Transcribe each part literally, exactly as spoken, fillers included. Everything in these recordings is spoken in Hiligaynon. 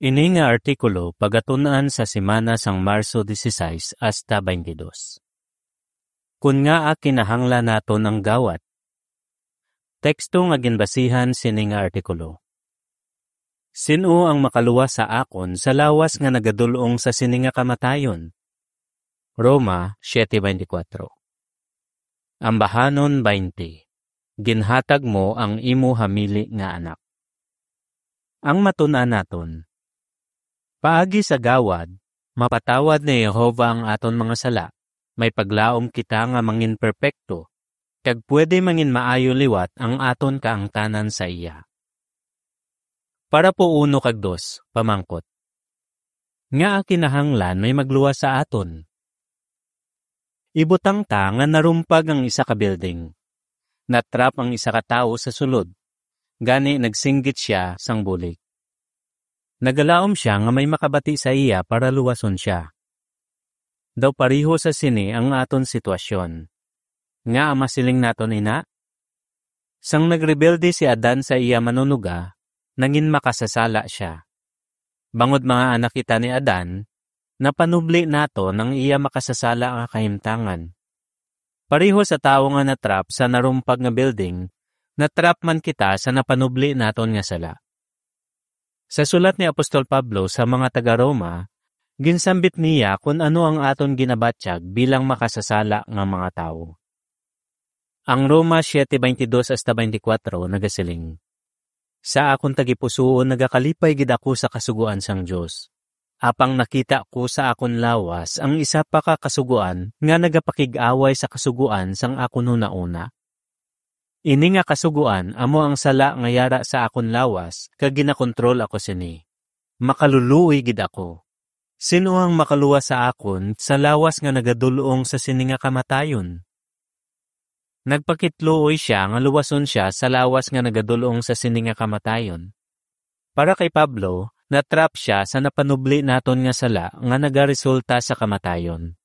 Ini nga artikulo pagatun-an sa semana sang Marso dieciséis hasta veintidós. Kon ngaa kinahanglan naton ang gawad? Teksto nga ginbasihan sini nga artikulo. Sin-o ang makaluwas sa akon sa lawas nga nagadul-ong sa sini nga kamatayon? Roma siete veinticuatro. Ambahanon twenty. Ginhatag mo ang imo hamili nga anak. Ang matun-an naton. Paagi sa gawad, mapatawad ni Jehovah ang aton mga sala. May paglaom kita nga mangin perpekto, kag pwede mangin maayo liwat ang aton kaangtanan sa iya. Parapo uno kag dos, pamangkot. Ngaa kinahanglan may magluwas sa aton? Ibutang ta nga narumpag ang isa ka building. Natrap ang isa ka tawo sa sulod, gani nagsinggit sia sang bulig. Nagalaom sia nga may makabati sa iya para luwason sia. Daw pareho sa sini ang aton sitwasyon. Ngaa masiling naton ina? Sang nagrebelde si Adan sa iya manunuga, nangin makasasala sia. Bangod mga anak kita ni Adan, napanubli naton ang iya makasasala nga kahimtangan. Pareho sa tawo nga natrap sa narumpag nga building, natrap man kita sa napanubli naton nga sala. Sa sulat ni Apostol Pablo sa mga taga-Roma, ginsambit niya kon ano ang aton ginabatyag bilang makasasala nga mga tawo. Ang Roma siete veintidós hasta veinticuatro nagasiling, "Sa akon tagipusoon nagakalipay gid ako sa Kasugoan sang Dios. Apang nakita ko sa akon lawas ang isa pa ka Kasugoan nga nagapakig-away sa Kasugoan sang akon hunauna. Ini nga Kasugoan amo ang sala nga yara sa akon lawas, kag ginakontrol ako sini. Makaluluoy gid ako. Sin-o ang makaluwas sa akon sa lawas nga nagadul-ong sa sini nga kamatayon?" Nagpakitluoy sia nga luwason sia sa lawas nga nagadul-ong sa sini nga kamatayon. Para kay Pablo, natrap sia sa napanubli naton nga sala nga nagaresulta sa kamatayon.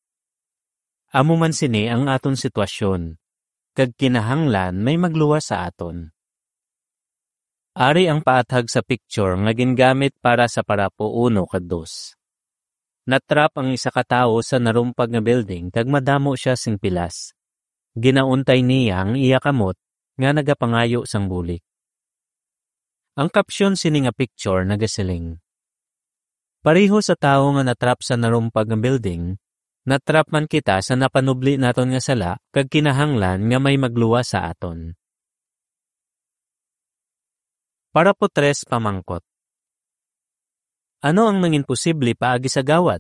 Amo man sini ang aton sitwasyon, kag kinahanglan may magluwas sa aton. Ari ang paathag sa picture nga gingamit para sa parapo uno kag dos. Natrap ang isa ka tawo sa narumpag nga building kag madamo sia sing pilas. Ginauntay niya ang iya kamot nga nagapangayo sang bulig. Ang caption sini nga picture nagasiling, "Pareho sa tawo nga natrap sa narumpag nga building, natrap man kita sa napanubli naton nga sala kag kinahanglan nga may magluwas sa aton." Parapo tres, pamangkot. Ano ang nangin posible paagi sa gawad?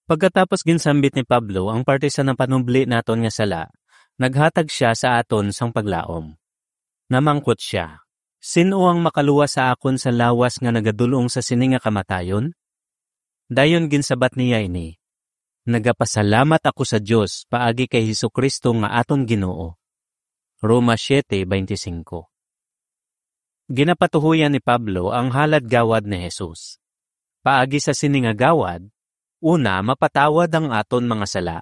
Pagkatapos ginsambit ni Pablo ang parte sa napanubli naton nga sala, naghatag sia sa aton sang paglaom. Namangkot sia, "Sin-o ang makaluwas sa akon sa lawas nga nagadul-ong sa sini nga kamatayon?" Dayon ginsabat niya ini, "Nagapasalamat ako sa Dios paagi kay Jesu-Cristo nga aton Ginoo." Roma siete veinticinco. Ginapatuhoyan ni Pablo ang halad gawad ni Jesus. Paagi sa sini nga gawad, una, mapatawad ang aton mga sala.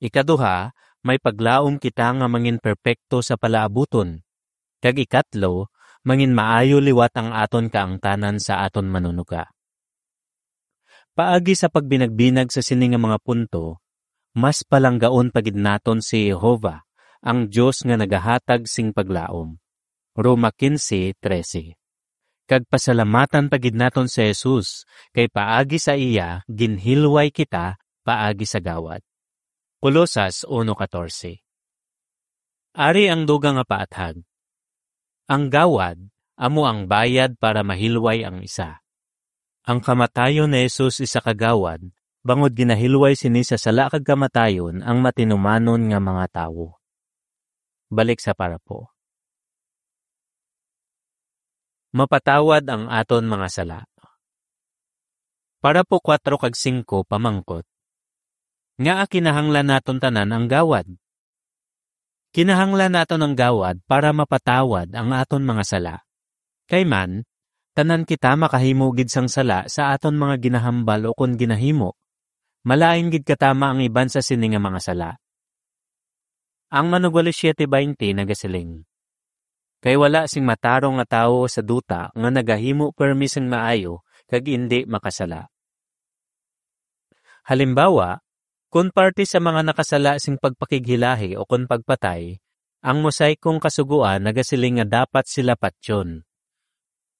Ikaduha, may paglaom kita nga mangin perpekto sa palaabuton. Kag ikatlo, mangin maayo liwat ang aton kaangtanan sa aton Manunuga. Paagi sa pagbinagbinag sa sini nga mga punto, mas palanggaon pa gid naton si Jehovah, ang Dios nga nagahatag sing paglaom. Roma quince trece. Kag pasalamatan pa gid naton si Jesus, kay paagi sa iya ginhilway kita paagi sa gawad. Colosas uno catorce. Ari ang dugang nga paathag. Ang gawad amo ang bayad para mahilway ang isa. Ang kamatayon ni Jesus isa ka gawad, bangod ginahilway sini sa sala kag kamatayon ang matinumanon nga mga tawo. Balik sa parapo. Mapatawad ang aton mga sala. Parapo kuwatro kag singko, pamangkot. Ngaa kinahanglan naton tanan ang gawad? Kinahanglan naton ang gawad para mapatawad ang aton mga sala. Kay man, tanan kita makahimo gid sang sala sa aton mga ginahambal ukon ginahimo. Malain gid katama ang iban sa sini nga mga sala. Ang Manugwali siete baynte nagasiling, kay wala sing matarong nga tawo sa duta nga nagahimo permi sing maayo kag indi makasala. Halimbawa, kon parte sa mga nakasala sing pagpakighilahi o kon pagpatay, ang Mosaikong Kasugoan nagasiling nga dapat sila patyon.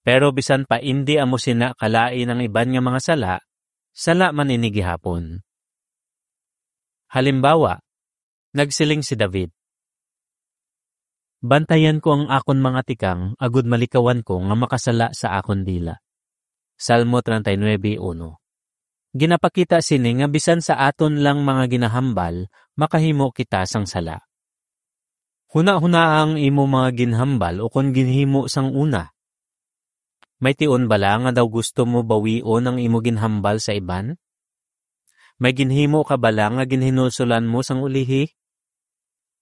Pero bisan pa indi amo sina kalain ang iban nga mga sala, sala man ini gihapon. Halimbawa, nagsiling si David, "Bantayan ko ang akon mga tikang, agud malikawan ko nga makasala sa akon dila." Salmo treinta y nuebe uno. Ginapakita sini nga bisan sa aton lang mga ginahambal, makahimo kita sang sala. Hunahunaa ang imo mga ginhambal ukon ginhimo sang una. May tion bala nga daw gusto mo bawion ang imo ginhambal sa iban? May ginhimo ka bala nga ginhinulsolan mo sang ulihi?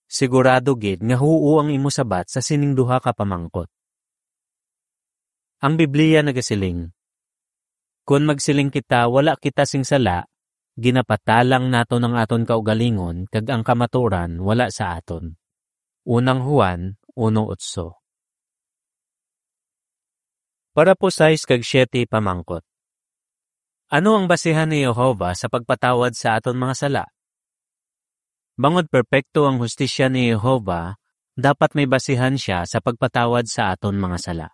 Sigurado gid nga huo ang imo sabat sa sining duha ka pamangkot. Ang Biblia nagasiling, "Kon magsiling kita, 'Wala kita sing sala,' ginapatalang naton ang aton kaugalingon, kag ang kamatuoran wala sa aton." Unang Juan uno otso. Parapo sais kag siete pamangkot. Ano ang basihan ni Jehovah sa pagpatawad sa aton mga sala? Bangod perpekto ang hustisya ni Jehovah, dapat may basihan sia sa pagpatawad sa aton mga sala.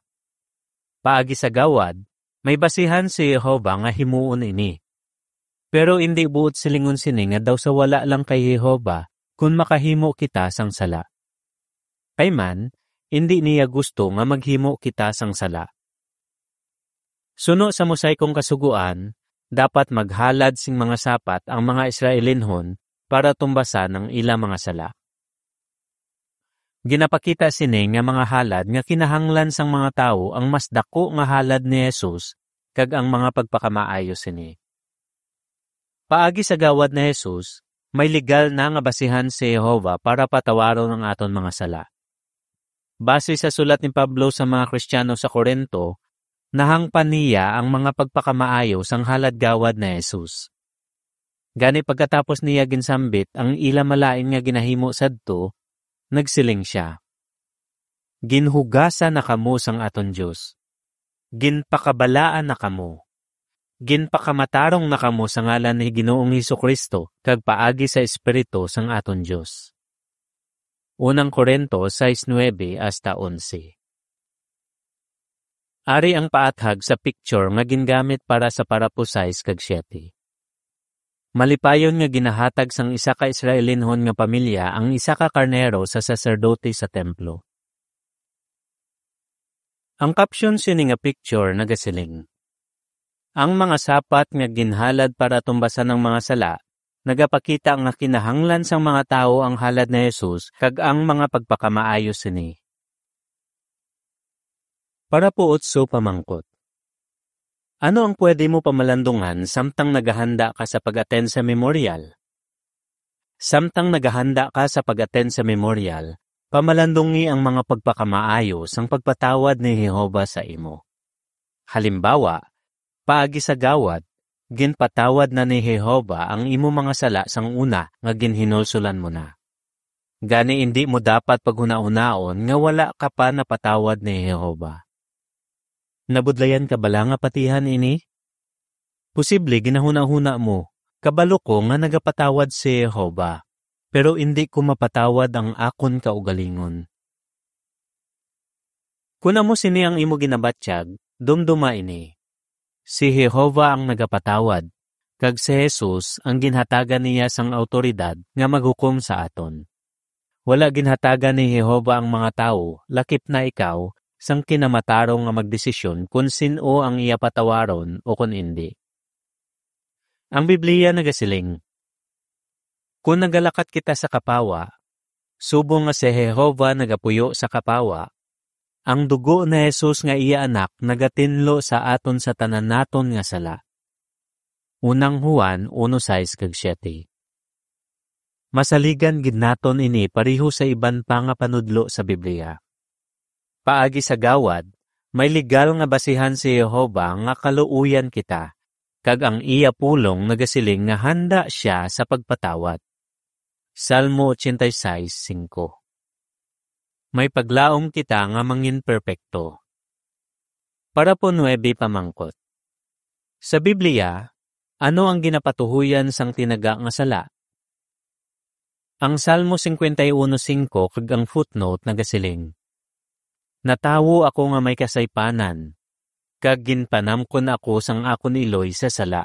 Paagi sa gawad, may basihan si Jehovah nga himuon ini. Pero indi buot silingon sini nga daw sa wala lang kay Jehovah kon makahimo kita sang sala. Kay man, indi niya gusto nga maghimo kita sang sala. Suno sa Mosaikong Kasugoan, dapat maghalad sing mga sapat ang mga Israelinhon para tumbasan ang ila mga sala. Ginapakita sini nga mga halad nga kinahanglan sang mga tawo ang mas daku nga halad ni Jesus kag ang mga pagpakamaayo sini. Paagi sa gawad ni Jesus, may legal na nga basihan si Jehovah para patawaron ang aton mga sala. Base sa sulat ni Pablo sa mga Kristiyano sa Corinto, nahangpan niya ang mga pagpakamaayo sang halad gawad ni Jesus. Gani, pagkatapos niya ginsambit ang ila malain nga ginahimo sadto, nagsiling sia, "Ginhugasan na kamo sang aton Dios. Ginpakabalaan na kamo. Ginpakamatarong na kamo sa ngalan ni Ginoong Jesu-Cristo kag paagi sa Espiritu sang aton Dios." Unang Corinto sais nuebe hasta onse. Ari ang paathag sa picture nga gingamit para sa parapo sais kag siete. Malipayon nga ginahatag sang isa ka Israelinhon nga pamilya ang isa ka karnero sa saserdote sa templo. Ang caption sini nga picture nagasiling, "Ang mga sapat nga ginhalad para tumbasan ang mga sala nagapakita nga kinahanglan sang mga tawo ang halad ni Jesus kag ang mga pagpakamaayo sini." Parapo otso pamangkot. Ano ang pwede mo pamalandungan samtang nagahanda ka sa pag-attend sa memorial? Samtang nagahanda ka sa pag-attend sa memorial, pamalandungi ang mga pagpakamaayo sang pagpatawad ni Jehovah sa imo. Halimbawa, paagi sa gawad, ginpatawad na ni Jehovah ang imo mga sala sang una nga ginhinulsolan mo na. Gani, indi mo dapat paghunahunaon nga wala ka pa napatawad ni Jehovah. Nabudlayan ka bala nga patihan ini? Posible ginahunahuna mo, "Kabalo ko nga nagapatawad si Jehovah, pero indi ko mapatawad ang akon kaugalingon." Kon amo sini ang imo ginabatyag, dumduma ini. Si Jehovah ang nagapatawad, kag si Jesus ang ginhatagan niya sang awtoridad nga maghukom sa aton. Wala ginhatagan ni Jehovah ang mga tawo, lakip na ikaw, sang kinamatarong nga magdesisyon kon sin-o ang iya patawaron o kon indi. Ang Biblia nagasiling, "Kon nagalakat kita sa kapawa, subong nga si Jehovah nagapuyo sa kapawa, ang dugo ni Jesus nga iya Anak nagatinlo sa aton sa tanan naton nga sala." Unang Juan uno sais kag siete. Masaligan gid naton ini pareho sa iban pa nga panudlo sa Biblia. Paagi sa gawad, may legal nga basihan si Jehovah nga kaluoyan kita, kag ang iya pulong nagasiling nga handa sia sa pagpatawad. Salmo ochenta y seis cinco. May paglaom kita nga mangin perpekto. Parapo nuebe pamangkot. Sa Biblia, ano ang ginapatuhoyan sang tinaga nga sala? Ang Salmo cincuenta y uno cinco kag ang footnote nagasiling, "Natawo ako nga may kasaypanan, kag ginpanamkon ako sang akon iloy sa sala,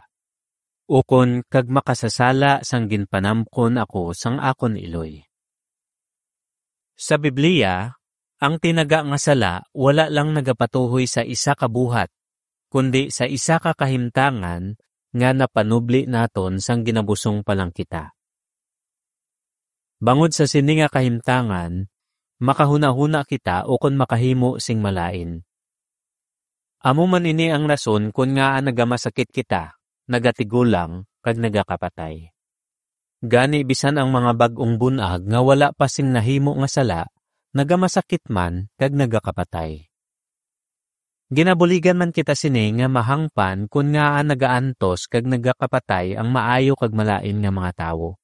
ukon kag makasasala sang ginpanamkon ako sang akon iloy." Sa Biblia, ang tinaga nga sala wala lang nagapatuhoy sa isa ka buhat, kundi sa isa ka kahimtangan nga napanubli naton sang ginabusong pa lang kita. Bangod sa sini nga kahimtangan, makahunahuna kita ukon makahimo sing malain. Amo man ini ang rason kon ngaa nagamasakit kita, nagatigulang, kag nagakapatay. Gani, bisan ang mga bag-ong bun-ag nga wala pa sing nahimo nga sala, nagamasakit man kag nagakapatay. Ginabuligan man kita sini nga mahangpan kon ngaa nagaantos kag nagakapatay ang maayo kag malain nga mga tawo.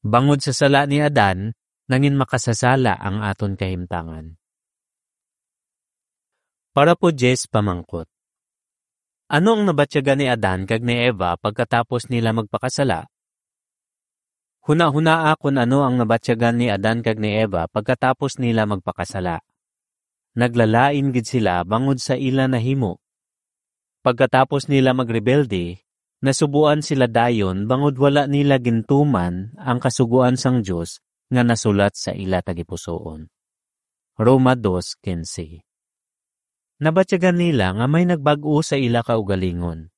Bangod sa sala ni Adan, nangin makasasala ang aton kahimtangan. Parapo diyes pamangkot. Ano ang nabatyagan ni Adan kag ni Eva pagkatapos nila magpakasala? Hunahunaa kon ano ang nabatyagan ni Adan kag ni Eva pagkatapos nila magpakasala. Naglalain gid sila bangod sa ila nahimo. Pagkatapos nila magrebelde, nasubuan sila dayon bangod wala nila gintuman ang kasugoan sang Dios nga nasulat sa ila tagipusoon. Roma dos quince. Nabatyagan nila nga may nagbag-o sa ila kaugalingon.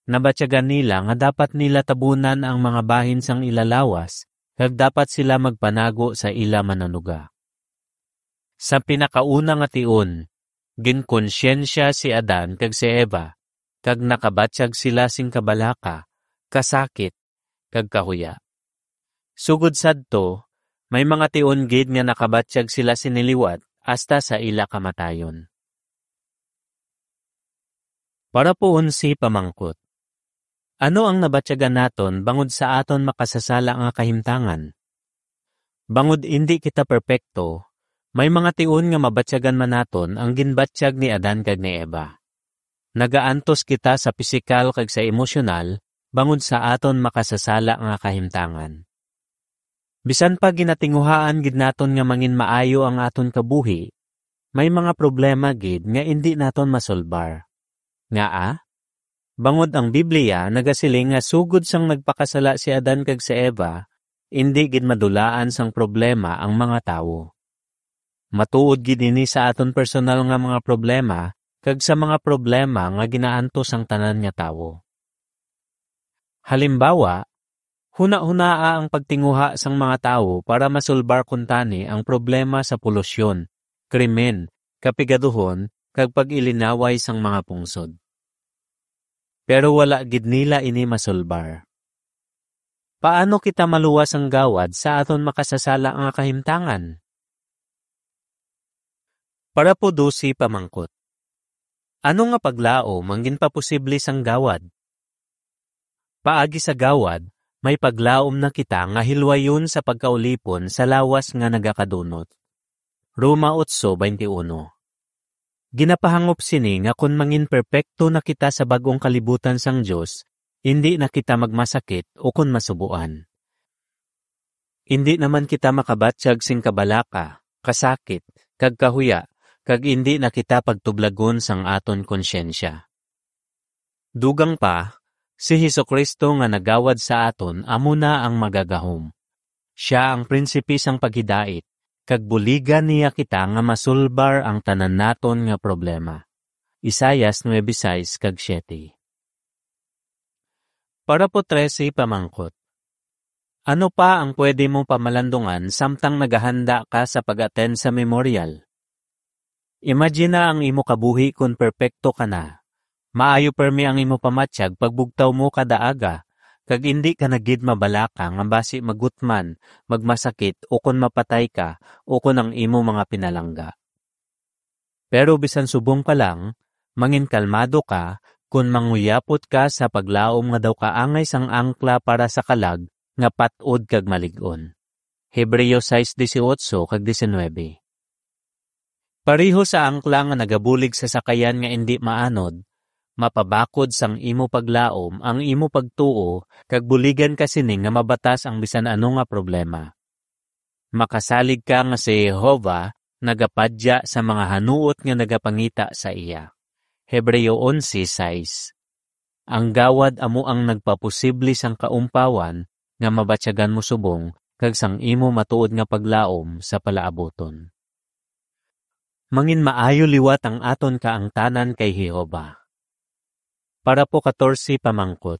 Nabatyagan nila nga dapat nila tabunan ang mga bahin sang ila lawas, kag dapat sila magpanago sa ila Manunuga. Sa pinakauna nga tion, ginkonsyensya si Adan kag si Eva, kag nakabatyag sila sing kabalaka, kasakit, kag kahuya. Sugod sadto, may mga tion gid nga nakabatyag sila sini liwat hasta sa ila kamatayon. Parapo onse pamangkot. Ano ang nabatyagan naton bangod sa aton makasasala nga kahimtangan? Bangod indi kita perpekto, may mga tion nga mabatyagan man naton ang ginbatyag ni Adan kag ni Eva. Nagaantos kita sa pisikal kag sa emosyonal bangod sa aton makasasala nga kahimtangan. Bisan pa ginatinguhaan gid naton nga mangin maayo ang aton kabuhi, may mga problema gid nga indi naton masolbar. Ngaa? Bangod ang Biblia nagasiling nga sugod sang nagpakasala si Adan kag si Eva, indi gid madulaan sang problema ang mga tawo. Matuod gid ini sa aton personal nga mga problema kag sa mga problema nga ginaantos sang tanan nga tawo. Halimbawa, hunahunaa ang pagtinguha sang mga tawo para masulbar kuntani ang problema sa polusyon, krimen, kapigaduhon, kag pag-ilinaway sang mga pungsod. Pero wala gid nila ini masulbar. Paano kita maluwas sang gawad sa aton makasasala nga kahimtangan? Parapo dose pamangkot. Ano nga paglaom ang ginpaposible sang gawad? Paagi sa gawad, may paglaom na kita nga hilwayon sa pagkaulipon sa lawas nga nagakadunot. Roma otso veintiuno. Ginapahangop sini nga kon mangin perpekto na kita sa bag-ong kalibutan sang Dios, indi na kita magmasakit ukon masubuan. Indi naman kita makabatyag sing kabalaka, kasakit, kag kahuya, kag indi na kita pagtublagon sang aton konsyensya. Dugang pa, si Jesu-Cristo nga nagawad sa aton amo na ang magagahom. Sia ang prinsipe sang paghidait, kag buligan niya kita nga masulbar ang tanan naton nga problema. Isaias nuebe sais kag siete. Parapo trese pamangkot. Ano pa ang pwede mo pamalandungan samtang nagahanda ka sa pag-attend sa memorial? Imagina ang imo kabuhi kon perpekto ka na. Maayo permi ang imo pamatyag pagbugtaw mo kada aga, kag indi ka na gid mabalaka nga basi magutman, magmasakit, ukon mapatay ka, ukon ang imo mga pinalangga. Pero bisan subong pa lang, mangin kalmado ka kon manguyapot ka sa paglaom nga daw kaangay sang angkla para sa kalag nga pat-od kag malig-on. Hebreo sais dieciocho kag diecinuebe. Pareho sa angkla nga nagabulig sa sakayan nga indi maanod, mapabakod sang imo paglaom ang imo pagtuo kag buligan ka sini nga mabatas ang bisan ano nga problema. Makasalig ka nga si Jehovah nagapadya sa mga hanuot nga nagapangita sa iya. Hebreo onse sais. Ang gawad amo ang nagpaposible sang kaumpawan nga mabatyagan mo subong kag sang imo matuod nga paglaom sa palaabuton. Mangin maayo liwat ang aton kaangtanan kay Jehovah. Parapo katorse pamangkot.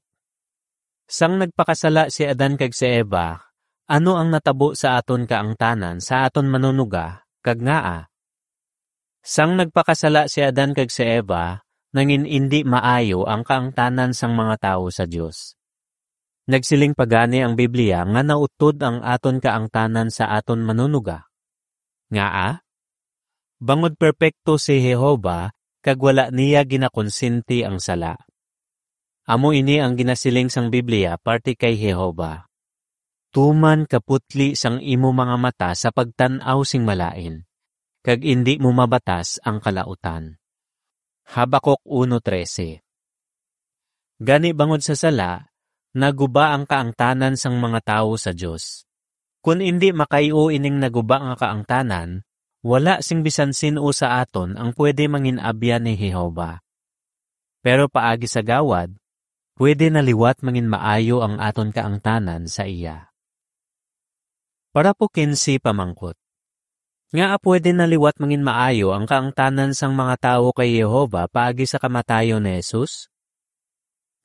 Sang nagpakasala si Adan kag si Eva, ano ang natabo sa aton kaangtanan sa aton Manunuga, kag ngaa? Sang nagpakasala si Adan kag si Eva, nangin indi maayo ang kaangtanan sang mga tawo sa Dios. Nagsiling pa gani ang Biblia nga nautod ang aton kaangtanan sa aton Manunuga. Ngaa? Bangod perpekto si Jehovah kag wala niya ginakonsinti ang sala. Amo ini ang ginasiling sang Biblia parte kay Jehovah, "Tuman kaputli sang imo mga mata sa pagtan-aw sing malain, kag indi mo mabatas ang kalautan." Habakuk uno trese. Gani bangod sa sala, naguba ang kaangtanan sang mga tawo sa Dios. Kon indi makayo ining naguba nga kaangtanan, wala sing bisan sin-o sa aton ang pwede mangin-abyan ni Jehovah. Pero paagi sa gawad, pwede na liwat mangin maayo ang aton kaangtanan sa iya. Parapo kinse pamangkot. Ngaa pwede na liwat mangin maayo ang kaangtanan sang mga tawo kay Jehovah paagi sa kamatayon ni Jesus?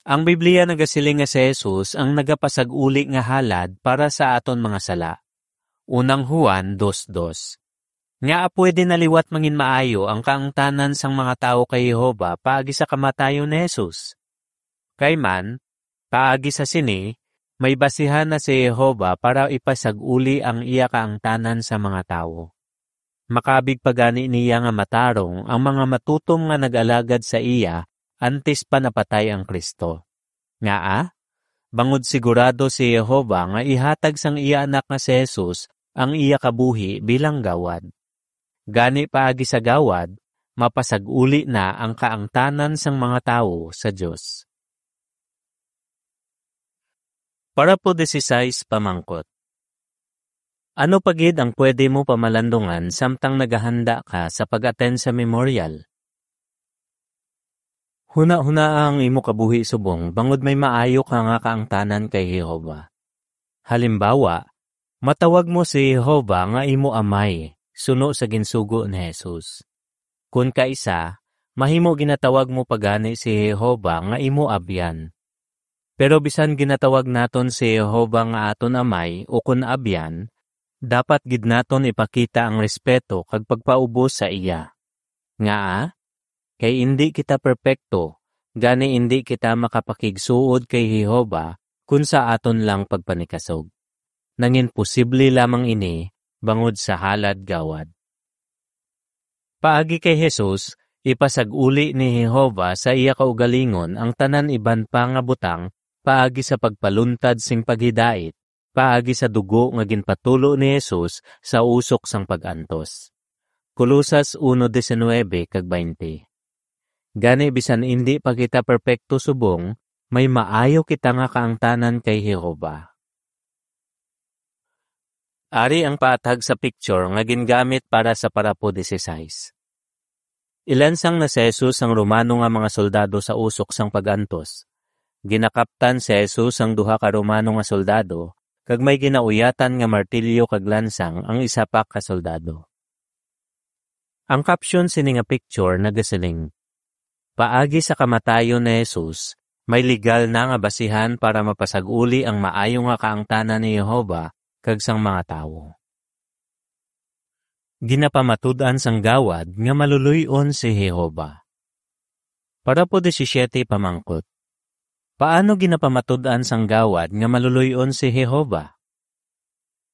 Ang Biblia nagasiling nga si Jesus ang nagapasag-uli nga halad para sa aton mga sala. Unang Juan dos dos. Ngaa pwede na liwat mangin maayo ang kaangtanan sang mga tawo kay Jehovah paagi sa kamatayon ni Jesus? Kay man, paagi sa sini, may basihan na si Jehovah para ipasag-uli ang iya kaangtanan sa mga tawo. Makabig pa gani niya nga matarong ang mga matutom nga nag-alagad sa iya antes pa napatay ang Cristo. Ngaa? Bangod sigurado si Jehovah nga ihatag sang iya Anak nga si Jesus ang iya kabuhi bilang gawad. Gani paagi sa gawad, mapasag-uli na ang kaangtanan sang mga tawo sa Dios. Parapo dieciséis pamangkot. Ano pa gid ang pwede mo pamalandungan samtang nagahanda ka sa pag-attend sa memorial? Hunahunaa ang imo kabuhi subong bangod may maayo ka nga kaangtanan kay Jehovah. Halimbawa, matawag mo si Jehovah nga imo Amay, suno sa ginsugo ni Jesus. Kon kaisa, mahimo ginatawag mo pa gani si Jehovah nga imo Abyan. Pero bisan ginatawag naton si Jehovah nga aton Amay ukon Abyan, dapat gid naton ipakita ang respeto kag pagpaubos sa iya. Ngaa? Kay indi kita perpekto, gani indi kita makapakigsuod kay Jehovah kon sa aton lang pagpanikasog. Nangin posible lamang ini bangod sa halad gawad. Paagi kay Jesus, ipasag-uli ni Jehovah sa iya kaugalingon ang tanan iban pa nga butang paagi sa pagpaluntad sing paghidait, paagi sa dugo nga ginpatulo ni Jesus sa usok sang pag-antos. Colosas uno diecinuebe kag baynte. Gani, bisan indi pa kita perpekto subong, may maayo kita nga kaangtanan kay Jehovah. Ari ang paathag sa picture nga gingamit para sa parapo dieciséis. Ilansang na si Jesus sang Romano nga mga soldado sa usok sang pag-antos. Ginakaptan si Jesus sang duha ka Romano nga soldado, kag may ginauyatan nga martilyo kag lansang ang isa pa ka soldado. Ang caption sini nga picture nagasiling, "Paagi sa kamatayon ni Jesus, may legal na nga basihan para mapasag-uli ang maayo nga kaangtanan ni Jehovah kag sang mga tawo." Ginapamatud-an sang gawad nga maluloy-on si Jehovah. Parapo disisiete pamangkot. Paano ginapamatud-an sang gawad nga maluloy-on si Jehovah?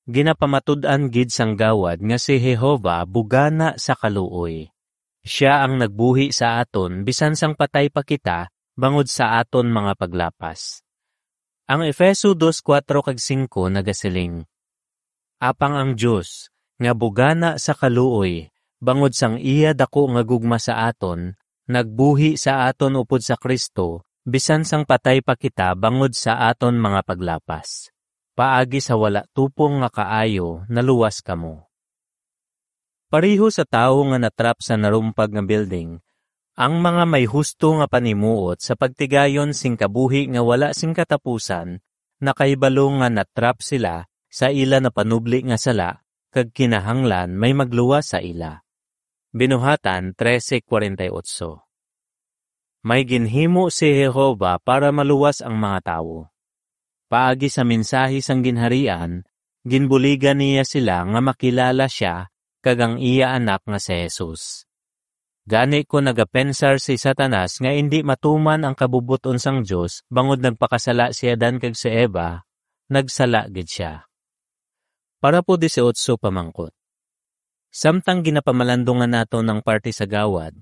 Ginapamatud-an gid sang gawad nga si Jehovah bugana sa kaluoy. Sia ang nagbuhi sa aton bisan sang patay pa kita bangod sa aton mga paglapas. Ang Efeso dos kuwatro kag singko nagasiling, Apang ang Dios, nga bugana sa kaluoy, bangod sang iya daku nga gugma sa aton, nagbuhi sa aton upod sa Cristo, bisan sang patay pa kita bangod sa aton mga paglapas. Paagi sa wala tupong nga kaayo, naluwas kamo. Pareho sa tawo nga natrap sa narumpag nga building, ang mga may husto nga panimuot sa pagtigayon sing kabuhi nga wala sing katapusan nakahibalo nga natrap sila sa ila napanubli nga sala, kag kinahanglan may magluwas sa ila. Binuhatan trese kuwarenta y otso. May ginhimo si Jehovah para maluwas ang mga tawo. Paagi sa mensahe sang Ginharian, ginbuligan niya sila nga makilala sia kag ang iya Anak nga si Jesus. Gani, kon nagapensar si Satanas nga indi matuman ang kabubot-on sang Dios bangod nagpakasala si Adan kag si Eva, nagsala gid sia. Parapo dieciocho pamangkot. Samtang ginapamalandungan naton ang parte sa gawad,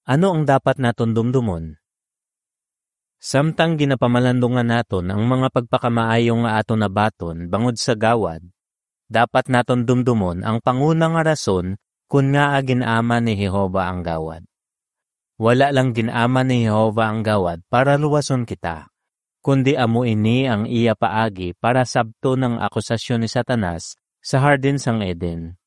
ano ang dapat naton dumdumon? Samtang ginapamalandungan naton ang mga pagpakamaayo nga aton nabaton bangod sa gawad, dapat naton dumdumon ang panguna nga rason kon ngaa gin-ama ni Jehovah ang gawad. Wala lang gin-ama ni Jehovah ang gawad para luwason kita, kundi amo ini ang iya paagi para sabton ang akusasyon ni Satanas sa Hardin sang Eden.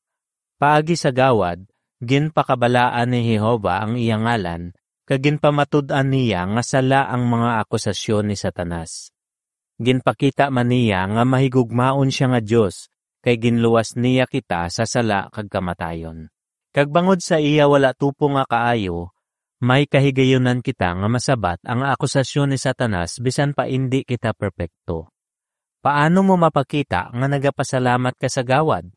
Paagi sa gawad, ginpakabalaan ni Jehovah ang iya ngalan, kag ginpamatud-an niya nga sala ang mga akusasyon ni Satanas. Ginpakita man niya nga mahigugmaon sia nga Dios, kay ginluwas niya kita sa sala kag kamatayon. Kag bangod sa iya wala tupong nga kaayo, may kahigayunan kita nga masabat ang akusasyon ni Satanas bisan pa indi kita perpekto. Paano mo mapakita nga nagapasalamat ka sa gawad?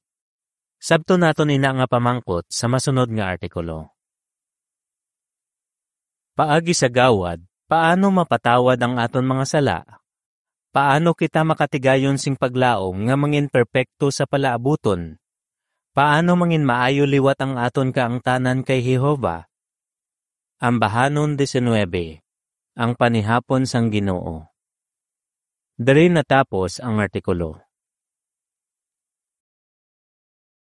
Sabton naton ina nga pamangkot sa masunod nga artikulo. Paagi sa gawad, paano mapatawad ang aton mga sala? Paano kita makatigayon sing paglaom nga mangin perpekto sa palaabuton? Paano mangin maayo liwat ang aton kaangtanan kay Jehovah? Ambahanon diecinuebe, ang panihapon sang Ginoo. Diri natapos ang artikulo.